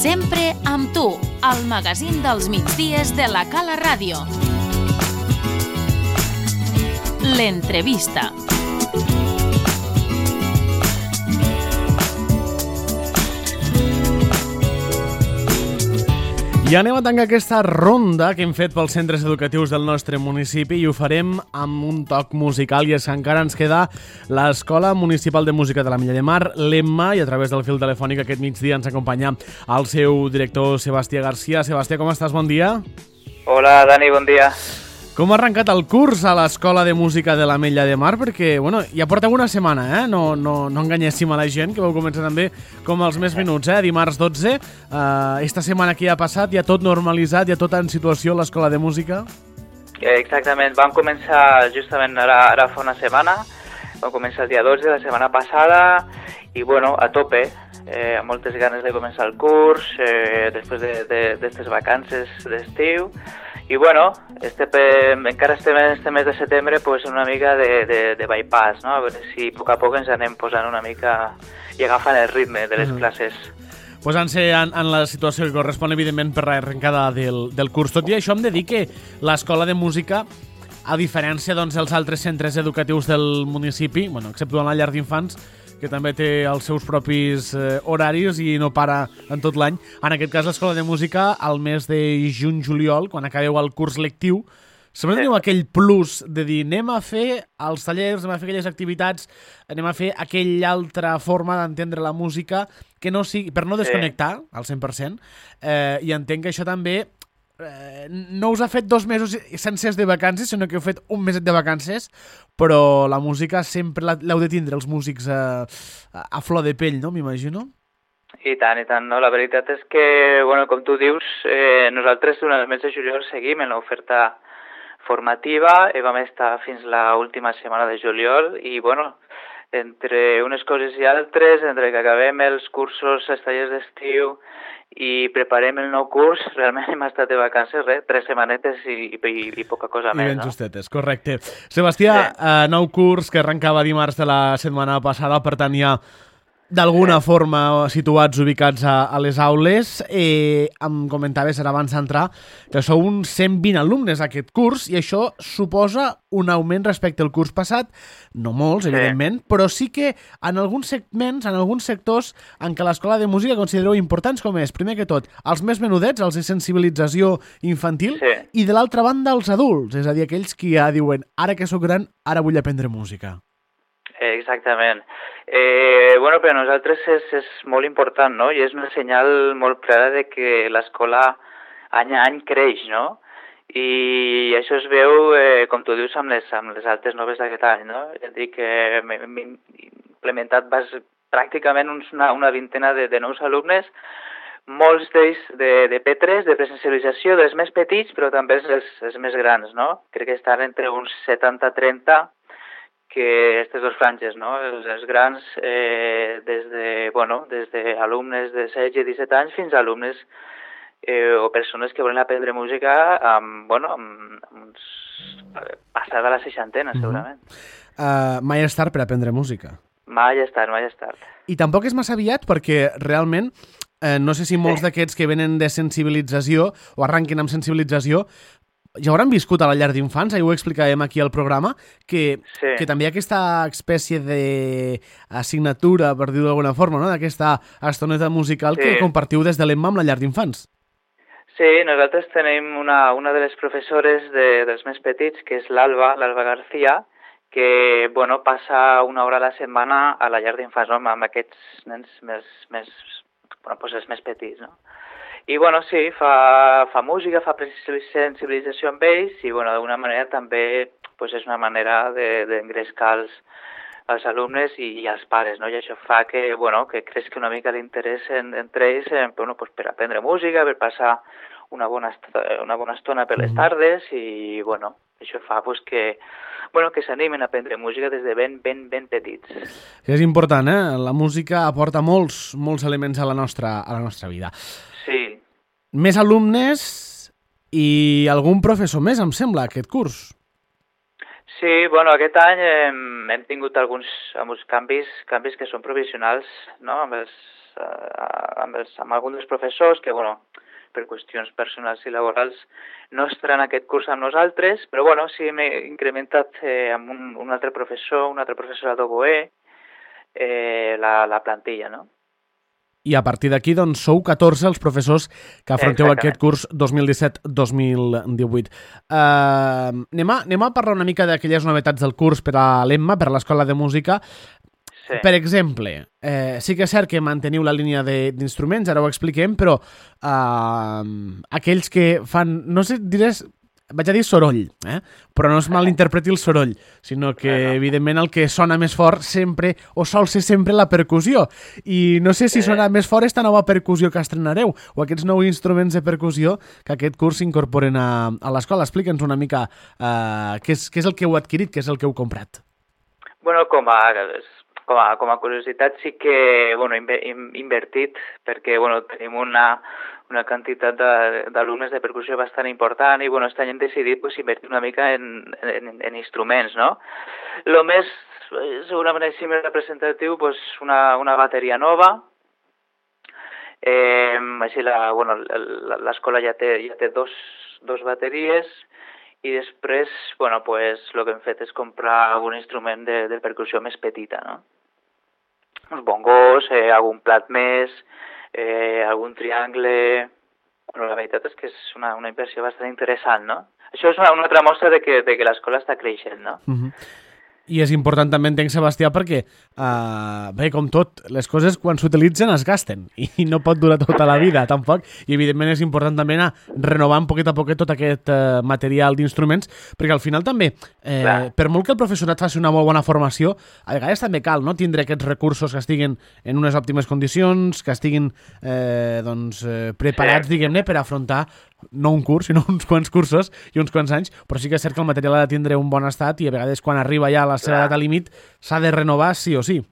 Sempre amb tu, al magazín dels migdies de la Cala Ràdio. L'entrevista. I anem a tancar aquesta ronda que hem fet pels centres educatius del nostre municipi i ho farem amb un toc musical, i és que encara ens queda l'Escola Municipal de Música de l'Ametlla de Mar, l'EMMA, i a través del fil telefònic aquest migdia ens acompanya el seu director Sebastià Garcia. Sebastià, com estàs? Bon dia. Hola, Dani, bon dia. Com ha arrencat el curs a l'Escola de Música de l'Ametlla de Mar? Perquè, bueno, ja porteu una setmana, no enganyéssim a la gent, que vau començar també com els més minuts, dimarts 12. Esta setmana que ja ha passat, ja tot normalitzat, ja tot en situació a l'Escola de Música? Exactament, vam començar justament ara fa una setmana, vam començar el dia 12 de la setmana passada, i bueno, a tope, amb moltes ganes de començar el curs, després d'aquestes vacances d'estiu. I bueno, encara estem en este mes de setembre pues, una mica de bypass, no? A veure si a poc ens anem posant una mica i agafant el ritme de les classes. Posant-se en la situació que correspon, evidentment, per l'arrencada del curs. Tot i això, hem de dir que l'Escola de Música, a diferència dels altres centres educatius del municipi, excepte la llar d'infants, que també té els seus propis horaris i no para en tot l'any. En aquest cas, l'Escola de Música, al mes de juny-juliol, quan acabeu el curs lectiu, sempre teniu aquell plus de dir anem a fer els tallers, anem a fer aquelles activitats, anem a fer aquella altra forma d'entendre la música que no sigui, per no desconnectar al 100%, i entenc que això també no us ha fet 2 mesos sencers de vacances, sinó que heu fet un meset de vacances, però la música sempre l'heu de tindre els músics a flor de pell, no? M'imagino. I tant, no? La veritat és que, bueno, com tu dius, nosaltres durant el mes de juliol seguim en l'oferta formativa i vam estar fins l'última setmana de juliol i, bueno, entre unes coses i altres, entre que acabem els cursos, els tallers d'estiu i preparem el nou curs, realment hem estat de vacances, 3 setmanetes i poca cosa més, no? Ben justetes, correcte. Sebastià, nou curs que arrencava dimarts de la setmana passada, per tant ja d'alguna forma situats, ubicats a les aules. Em comentaves ara abans d'entrar que sou uns 120 alumnes aquest curs i això suposa un augment respecte al curs passat, no molts, evidentment, però sí que en alguns segments, en alguns sectors en què l'Escola de Música considereu importants, com és, primer que tot, els més menudets, els de sensibilització infantil, i de l'altra banda els adults, és a dir, aquells que ja diuen ara que sóc gran, ara vull aprendre música. Exactament. Bueno, per a nosaltres és molt important, no? I és un senyal molt clara de que l'escola any a any creix, no? I això es veu, com tu dius, amb les altes noves d'aquest any, no? És a dir, que hem implementat pràcticament una vintena de nous alumnes, molts d'ells de P3, de presencialització, dels més petits, però també els més grans, no? Crec que estan entre uns 70-30, que aquestes 2 franges, no? Els grans, des de alumnes de 16 i 17 anys fins a alumnes o persones que volen aprendre música passada la 60, segurament. Mai és tard per aprendre música. Mai és tard. I tampoc és massa aviat perquè realment, no sé si molts d'aquests que venen de sensibilització o arranquen amb sensibilització ja hauran viscut a la llar d'infants, ho explicàvem aquí al programa, que també hi ha aquesta espècie d'assignatura, per dir-ho d'alguna forma, no? D'aquesta estoneta musical que compartiu des de l'EMMA amb la llar d'infants. Sí, nosaltres tenim una de les professores dels més petits, que és l'Alba García, que passa una hora a la setmana a la llar d'infants, no? Amb aquests nens els més petits, no? I sí, fa música, fa sensibilització amb ells i d'alguna manera també és una manera d'engrescar els alumnes i els pares, no? I això fa que creixi una mica l'interès entre ells per aprendre música, per passar una bona estona per les tardes i això fa que s'animen a aprendre música des de ben petits. És important, La música aporta molts elements a la nostra vida. Sí. Més alumnes i algun professor més, em sembla, aquest curs. Sí, bueno, aquest any hem tingut alguns canvis que són provisionals, no? Amb alguns dels professors que, bueno, per qüestions personals i laborals no estaran aquest curs amb nosaltres, però bueno, sí hem incrementat amb un altre professor, una altra professora d'oboè, la plantilla, no? I a partir d'aquí, doncs, sou 14 els professors que afronteu aquest curs 2017-2018. Anem a parlar una mica d'aquelles novetats del curs per a l'Emma, per a l'Escola de Música. Sí. Per exemple, sí que és cert que manteniu la línia d'instruments, ara ho expliquem, però aquells que fan, no sé, vaig a dir soroll, però no es malinterpreti el soroll, sinó que, evidentment, el que sona més fort sempre, o sol ser sempre, la percussió. I no sé si sona més fort esta nova percussió que estrenareu, o aquests nous instruments de percussió que aquest curs s'incorporen a l'escola. Explica'ns una mica què és el que heu adquirit, què és el que heu comprat. Bueno, com a curiositat sí que hem invertit perquè tenim una quantitat d'alumnes de percussió bastant important i aquest any hem decidit invertir una mica en instruments, no? Lo més segurament així més representatiu, una bateria nova. Així l'escola ja té dos bateries. I després, el que hem fet és comprar algun instrument de percussió més petita, no? Uns bongos, algun plat més, algun triangle... la veritat és que és una inversió bastant interessant, no? Això és una altra mostra de que l'escola està creixent, no? I és important també, entenc, Sebastià, perquè, bé, com tot, les coses quan s'utilitzen es gasten i no pot durar tota la vida, tampoc. I, evidentment, és important també anar renovant poquet a poquet tot aquest material d'instruments, perquè al final també, per molt que el professorat faci una molt bona formació, a vegades també cal, no?, tindre aquests recursos que estiguin en unes òptimes condicions, que estiguin preparats, diguem-ne, per afrontar no un curs, sinó uns quants cursos i uns quants anys, però sí que és cert que el material ha de tindre un bon estat i a vegades quan arriba ja a la seva data límit s'ha de renovar sí o sí.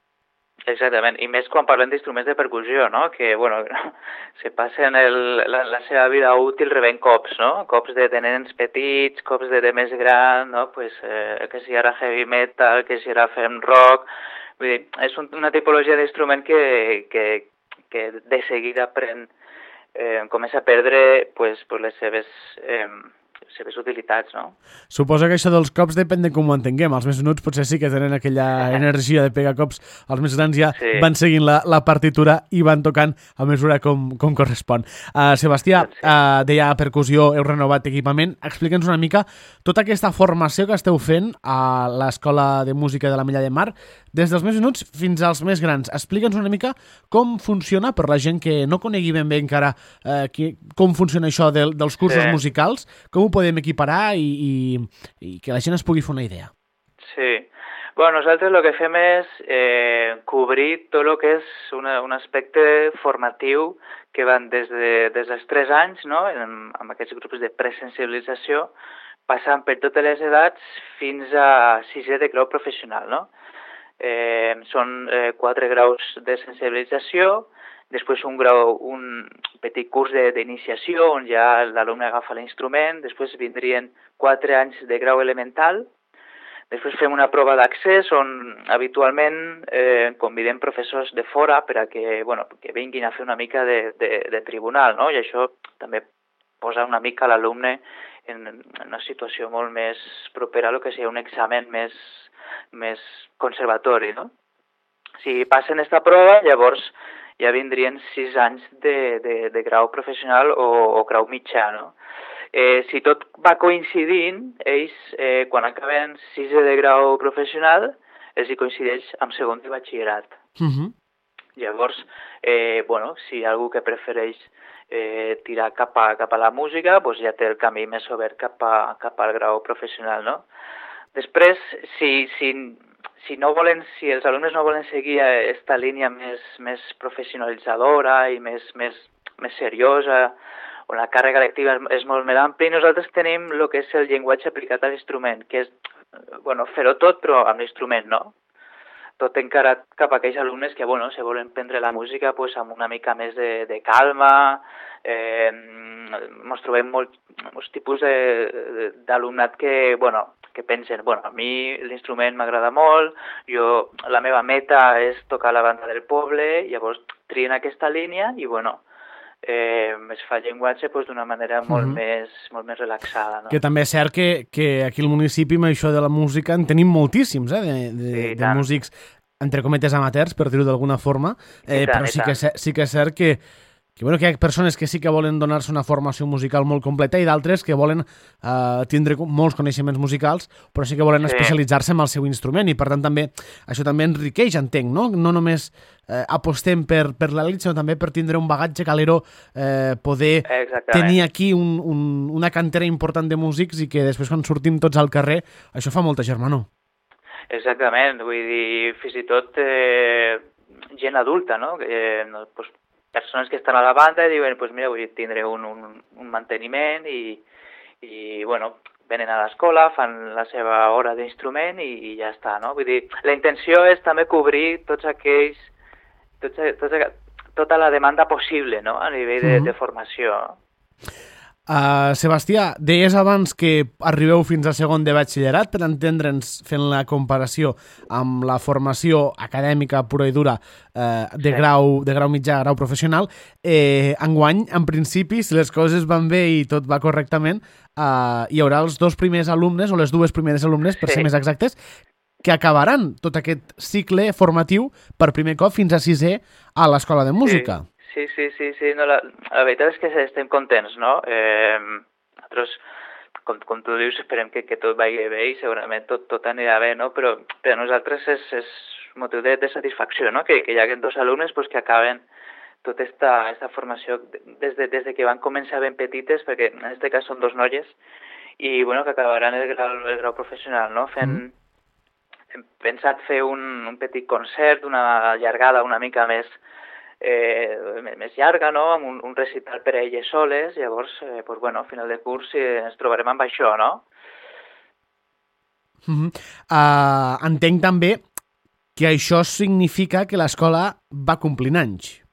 Exactament, i més quan parlem d'instruments de percussió, no? Que, se passen la seva vida útil rebent cops, no? Cops de nens petits, cops de més gran, no? Que si ara heavy metal, que si ara fem rock... Vull dir, és una tipologia d'instrument que de seguida comença a perdre les seves utilitats, no? Suposo que això dels cops depèn de com ho entenguem. Els més menuts potser sí que tenen aquella energia de pegar cops. Els més grans ja van seguint la partitura i van tocant a mesura com correspon. Sebastià, deia percussió, heu renovat equipament. Explica'ns una mica tota aquesta formació que esteu fent a l'Escola de Música de l'Ametlla de Mar, des dels més menuts fins als més grans. Explica'ns una mica com funciona, per la gent que no conegui ben bé encara com funciona això dels cursos musicals, com ho podem equiparar i que la gent es pugui fer una idea. Sí. Nosaltres el que fem és cobrir tot el que és un aspecte formatiu que van des dels 3 anys, no?, amb aquests grups de presensibilització, passant per totes les edats fins a 6è de grau professional, no? Són 4 graus de sensibilització, després un petit curs d'iniciació on ja l'alumne agafa l'instrument, després vindrien 4 anys de grau elemental, després fem una prova d'accés on habitualment convidem professors de fora per a que vinguin a fer una mica de tribunal, no? I això també posa una mica l'alumne en una situació molt més propera a el que sigui un examen més conservatori, no? Si passen aquesta prova, llavors ja vindrien 6 anys de grau professional o grau mitjà, no? Si tot va coincidint, ells, quan acaben 6è de grau professional, els hi coincideix amb 2è de batxillerat. Llavors, si hi ha algú que prefereix tirar cap a la música, ja té el camí més obert cap al grau professional, no? Després, si els alumnes no volen seguir aquesta línia més professionalitzadora i més seriosa, on la càrrega lectiva és molt més àmplia, nosaltres tenim el que és el llenguatge aplicat a l'instrument, que és fer-ho tot però amb l'instrument, no? Tot encarat cap a aquells alumnes que se volen prendre la música amb una mica més de calma, Ens trobem molts tipus d'alumnat que pensen, a mi l'instrument m'agrada molt, la meva meta és tocar la banda del poble, llavors trien aquesta línia i es fa llenguatge d'una manera molt més relaxada. No? Que també és cert que aquí al municipi amb això de la música en tenim moltíssims, de músics, entre cometes amateurs, per dir-ho d'alguna forma, però sí que és cert que hi ha persones que sí que volen donar-se una formació musical molt completa i d'altres que volen tindre molts coneixements musicals, però sí que volen especialitzar-se en el seu instrument i per tant també això també enriqueix, entenc, no? No només apostem per l'elit, sinó també per tindre un bagatge calero, poder tenir aquí una cantera important de músics i que després quan sortim tots al carrer això fa molta germanor. Exactament, vull dir, fins i tot gent adulta, no? Persones que estan a la banda i diuen, mira, vull tindre un manteniment i venen a l'escola, fan la seva hora d'instrument i ja està, no? Vull dir, la intenció és també cobrir tota la demanda possible, no?, a nivell de formació. Sebastià, deies abans que arribeu fins a segon de batxillerat, per entendre'ns, fent la comparació amb la formació acadèmica pura i dura de grau mitjà, grau professional. Enguany, en principi, si les coses van bé i tot va correctament, hi haurà els dos primers alumnes, o les dues primeres alumnes, per ser més exactes, que acabaran tot aquest cicle formatiu per primer cop fins a sisè a l'Escola de Música. Sí. No, la veritat és que estem contents, no? Nosaltres, com tu dius, esperem que tot vagi bé i segurament tot anirà bé, no? Però per a nosaltres és motiu de satisfacció, no? Que hi hagi dos alumnes que acaben tota esta formació des que van començar ben petites, perquè en aquest cas són dos noies, i que acabaran el grau professional, no? Hem pensat fer un petit concert, una llargada una mica més llarga, no?, amb un recital per a elles soles, llavors, al final de curs ens trobarem amb això, no? Entenc també que això significa que l'escola va complint anys.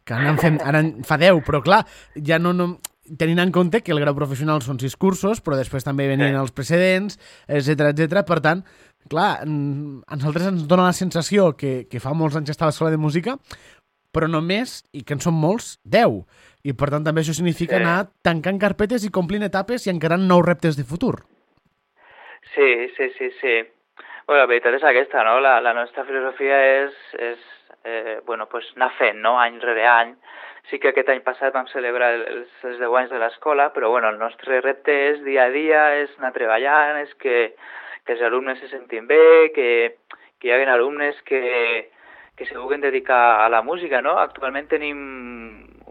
Que ara en fa 10, però clar, ja no tenint en compte que el grau professional són 6 cursos, però després també venien els precedents, etc. Per tant, clar, a nosaltres ens dona la sensació que fa molts anys que està a l'escola de música, però només, i que en són molts, 10. I per tant també això significa anar tancant carpetes i complint etapes i encarant nous reptes de futur. Sí. La veritat és aquesta, no? La nostra filosofia és anar fent, no?, any rere any. Sí que aquest any passat vam celebrar els 10 anys de l'escola, però el nostre repte és dia a dia, és anar treballant, és que els alumnes se sentin bé, que hi hagi alumnes que se vulguin dedicar a la música, no? Actualment tenim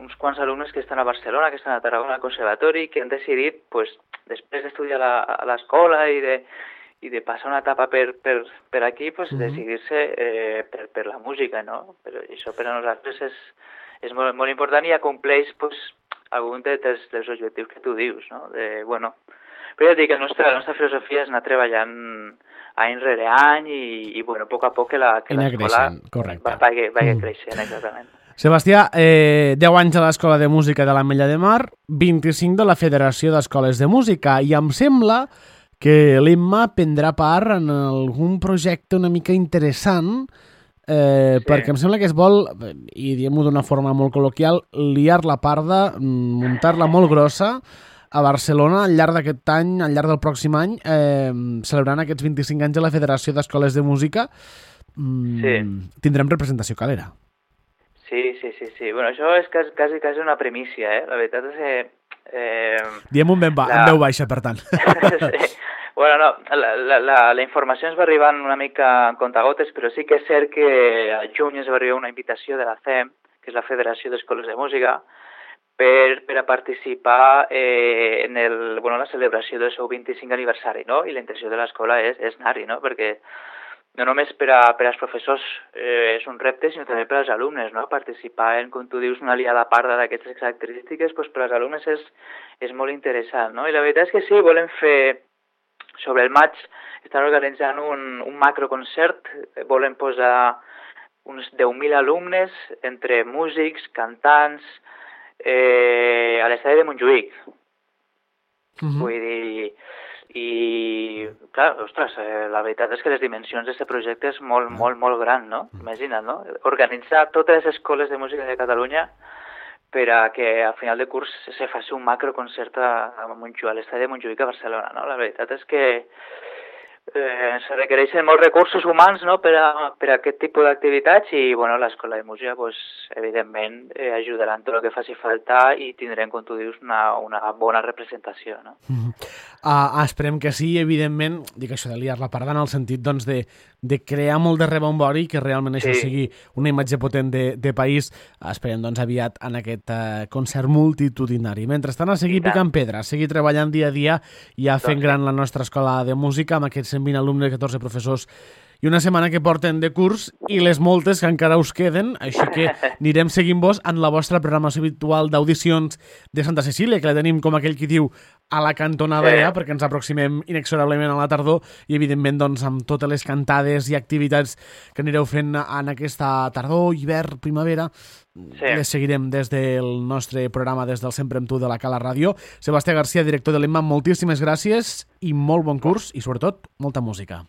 uns quants alumnes que estan a Barcelona, que estan a Tarragona al conservatori, que han decidit, després d'estudiar a l'escola i de passar una etapa per aquí, decidir-se per la música, no? Però això per a nosaltres és molt, molt important i acompleix algun dels objectius que tu dius, no? Però ja dic que la nostra filosofia és anar treballant any rere any i a poc a poc que l'escola vagi creixent, exactament. Sebastià, 10 anys a l'Escola de Música de l'Ametlla de Mar, 25 de la Federació d'Escoles de Música, i em sembla que l'Emma prendrà part en algun projecte una mica interessant, perquè em sembla que es vol, i diem-ho d'una forma molt col·loquial, liar la parda, muntar-la molt grossa, a Barcelona, al llarg d'aquest any, al llarg del pròxim any, celebrant aquests 25 anys de la Federació d'Escoles de Música, tindrem representació calera. Sí. Això és quasi una primícia, eh? La veritat és que... Diem en veu baixa, per tant. Sí. La informació ens va arribant una mica en comptagotes, però sí que és cert que al juny ens va arribar una invitació de la FEM, que és la Federació d'Escoles de Música, per a participar en la celebració del seu 25 aniversari, no? I la intenció de l'escola és anar-hi, no? Perquè no només per als professors és un repte, sinó també per als alumnes, no? Participar en, com tu dius, una liada parda d'aquestes característiques, per als alumnes és molt interessant, no? I la veritat és que sí, volem fer, sobre el maig, estan organitzant un macroconcert, volem posar uns 10.000 alumnes, entre músics, cantants, a l'estadi de Montjuïc. Vull dir, i clar, ostres, la veritat és que les dimensions d'aquest projecte és molt, molt, molt gran, no? Imagina't, no? Organitzar totes les escoles de música de Catalunya per a que a final de curs se faci un macroconcert a l'estadi de Montjuïc a Barcelona, no? La veritat és que se requereixen molts recursos humans, no?, per a aquest tipus d'activitats i, bueno, l'Escola de Música, pues, evidentment, ajudarà en tot el que faci falta i tindrem, com tu dius, una bona representació, no? Esperem que sí, evidentment, dic això de liar-la parda en el sentit, doncs, de crear molt de rebombori i que realment això sigui una imatge potent de país. Esperem, doncs, aviat en aquest concert multitudinari. Mentrestant, a seguir picant pedra, a seguir treballant dia a dia i a fent gran la nostra escola de música amb aquests 120 alumnes, 14 professors i una setmana que porten de curs i les moltes que encara us queden, així que anirem seguint-vos en la vostra programació habitual d'audicions de Santa Cecília, que la tenim, com aquell qui diu, a la cantonada perquè ens aproximem inexorablement a la tardor i, evidentment, doncs, amb totes les cantades i activitats que anireu fent en aquesta tardor, hivern, primavera, les seguirem des del nostre programa, des del Sempre amb tu de la Cala Ràdio. Sebastià García, director de l'EMMA, moltíssimes gràcies i molt bon curs i, sobretot, molta música.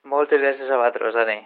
Moltes gràcies a vosaltres, Dani.